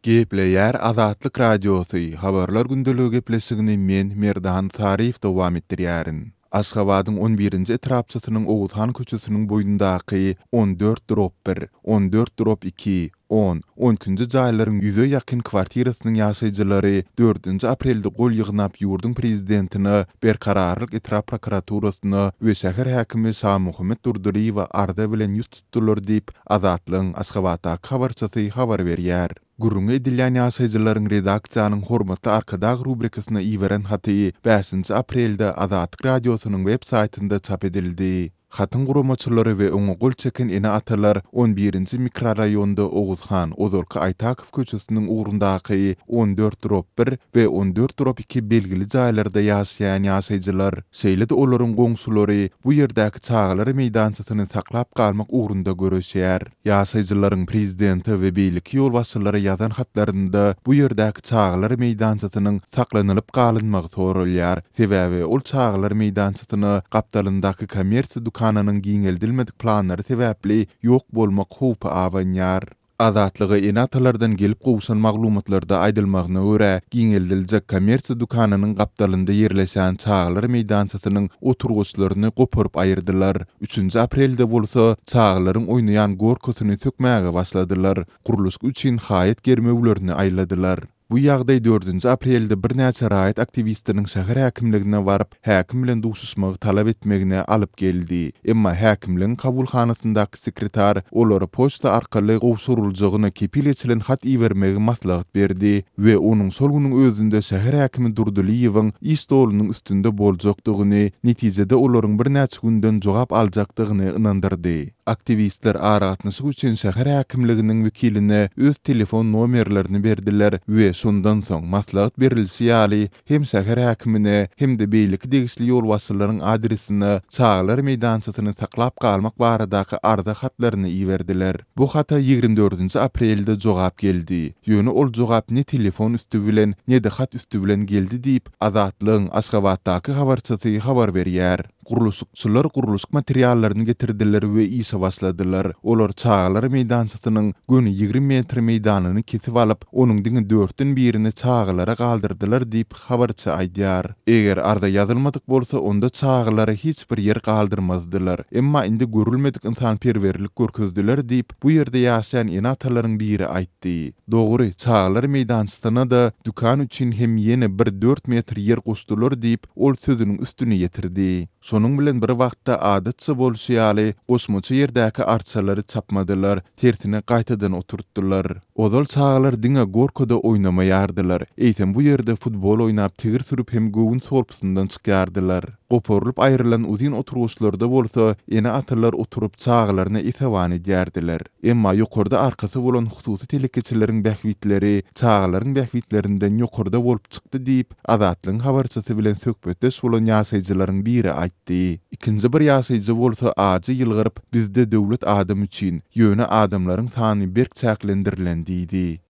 Gepleýär Azatlyk Radiosy, Habarlar gündeligi gepleşigini men, Merdan Saryýew dowam etdirýärin. Aşgabadyň on birinji etrapçasynyň Oguzhan köçesiniň boýundaky 14 drop bir, 14 drop iki, on, on ikinji jaýlaryň ýüze ýakyn kwartirasynyň ýaşaýjylary dördünji aprelde gol ýygnap ýurduň prezidentine, Berkararlyk etrap prokuraturasyna we şäher häkimi Şamuhammet Durdylyýewe arza bilen ýüz tutdular diýip, Azatlygyň Aşgabatdaky habarçysy habar berýär. Gürrüňi edilýän ýaşaýjylaryň redaksiýanyň Hormatly Arkadag rubrikasyna iberen haty bäşinji aprelde Azatlyk Radiosynyň web saýtynda çap edildi. Hatyň guramaçylary we oňa gol çeken ene-atalar on birinji mikroraýonda Oguzhan, ozalky Aýtakow köçesiniň ugrundaky 14 drop bir we 14 drop iki belgili jaýlarda ýaşaýan ýaşaýjylar. Şeýle-de olaryň goňşulary bu ýerdäki çagalar meýdançasyny saklap galmak ugrunda göreşýär. Ýaşaýjylaryň prezidente we beýleki ýolbaşçylara ýazan hatlarynda bu ýerdäki çagalar meýdançasynyň saklanylyp galynmagy soralýar. Sebäbi ol çagalar meýdançasyna gapdalyndaky kommersiýa dükanynyň giňeldilmedik planlary sebäpli ýok bolmak howpy abanýar. Azatlyga ene-atalardan gelip gowşan maglumatlarda aýdylmagyna görä, giňeldiljek kommersiýa dükanynyň gapdalynda ýerleşen çagalar meýdançasynyň oturgyçlaryny goparyp aýyrdylar. Üçünji aprelde bolsa, çagalaryň oýnaýan gorkasyny sökmäge başladylar, gurluşyk üçin haýat germewlerini aýladylar. Bu ýagdaý dördünji aprelde birnäçe raýat aktiwistiniň şäher häkimligine baryp, häkim bilen duşuşmagy talap etmegine alyp geldi. Emma häkimligiň kabulhanasyndaky sekretar olara poçta arkaly gowşuryljagyna kepil geçilen hat ibermegi maslahat berdi we onuň şol günüň özünde şäher häkimi Durdylyýewiň iş stolunyň üstünde boljakdygyny, netijede olaryň birnäçe günden jogap aljakdygyny ynandyrdy. Aktiwistler aragatnaşyk üçin şäher häkimliginiň wekiline öz telefon nomerlerini berdiler we şondan soň maslahat berilişi ýaly hem şäher häkimine hem-de beýleki degişli ýolbaşçylaryň adresine çagalar meýdançasyny saklap galmak baradaky arza hatlaryny iberdiler. Bu hata 24-nji aprelde jogap geldi. Ýöne ol jogap ne telefon üsti bilen, ne-de hat üsti bilen geldi diýip, Azatlygyň Aşgabatdaky habarçysy habar berýär. Gurluşykçylar gurluşyk materiallaryny getirdiler we işe başladylar. Olar çagalar meýdançasynyň göni 20 metr meýdanyny kesip alyp, onuň diňe dörtden birini çagalara galdyrdylar diýip, habarçy aýdýar. Eger arza ýazylmadyk bolsa, onda çagalara hiç bir ýer galdyrmazdylar. Emma indi görülmedik ynsanperwerlik görkezdiler diýip, bu ýerde ýaşaýan ene-atalaryň biri aýtdy. Dogry, çagalar meýdançasyna-da dükan üçin hem ýene bir dört metr ýer goşdular diýip, ol sözüniň üstüni ýetirdi. Şonuň bilen bir wagtda, adatça bolşy ýaly, goşmaça ýerdäki arçalary çapmadylar, tersine gaýtadan oturtdylar. Ozal çagalar diňe gorkada oýnamaýardylar, eýsem bu ýerde futbol oýnap, tigir sürüp hem göwün solpusyndan çykýardylar. Goparylyp aýrylan uzyn oturgyçlarda bolsa ene-atalar oturyp çagalaryna esewan edýärdiler. Emma ýokarda arkasy bolan hususy telekeçileriň bähbitleri çagalaryň bähbitlerinden ýokarda bolup çykdy diýip, Azatlygyň habarçysy bilen söhbetdeş bolan ýaşaýjylaryň biri aýtdy. Ikinji bir ýaşaýjy bolsa ajy ýylgyryp, Bizde döwlet adam üçin, ýöne adamlaryň sany berk çäklendirilen diýdi.